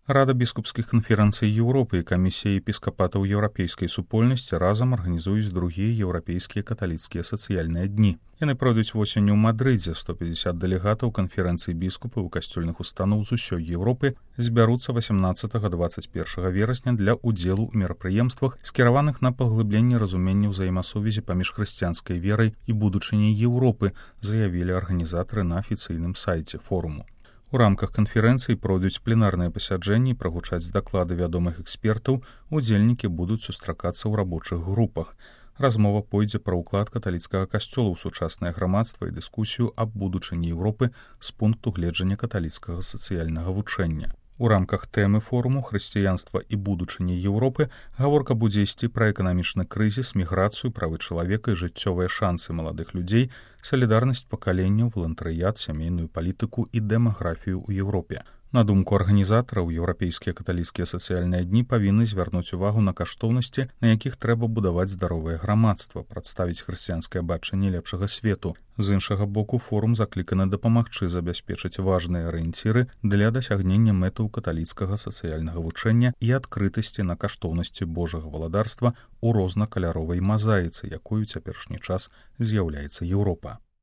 Рада біскупскіх канферэнцый Еўропы і камісія епіскапатаў еўрапейскай супольнасці разам арганізуюць другія еўрапейскія каталіцкія сацыяльныя дні. Яны пройдуць восенню ў Мадрыдзе. 150 дэлегатаў канферэнцыі біскупаў і касцёльных устаноў з усёй Еўропы збяруцца 18-21 верасня для ўдзелу ў мерапрыемствах, скіраваных на паглыбленне разумення ўзаемасувязі паміж хрысціянскай верай і будучыняй Еўропы, заявілі арганізатары на афіцыйным сайце форуму. У рамках канферэнцыі пройдуць пленарныя пасяджэнні і прагучаць даклады вядомых экспертаў, удзельнікі будуць сустракацца ў рабочых групах. Размова пойдзе пра ўклад каталіцкага касцёла ў сучаснае грамадства і дыскусію аб будучыні Еўропы з пункту гледжання каталіцкага сацыяльнага вучэння. У рамках тэмы форуму «Хрысціянства і будучыня Еўропы» гаворка будзе ісці пра эканамічны крызіс, міграцыю, правы чалавека і жыццёвыя шансы маладых людзей, салідарнасць пакаленняў, валантарыят, сямейную палітыку і дэмаграфію ў Еўропе. На думку арганізатараў, еўрапейскія каталіцкія сацыяльныя дні павінны звярнуць увагу на каштоўнасці, на якіх трэба будаваць здаровае грамадства, прадставіць хрысціянскае бачанне лепшага свету. З іншага боку, форум закліканы дапамагчы забяспечыць важныя арыенціры для дасягнення мэтаў каталіцкага сацыяльнага вучэння і адкрытасці на каштоўнасці Божага валадарства ў рознакаляровай мазаіцы, якою цяперашні час з'яўляецца Еўропа.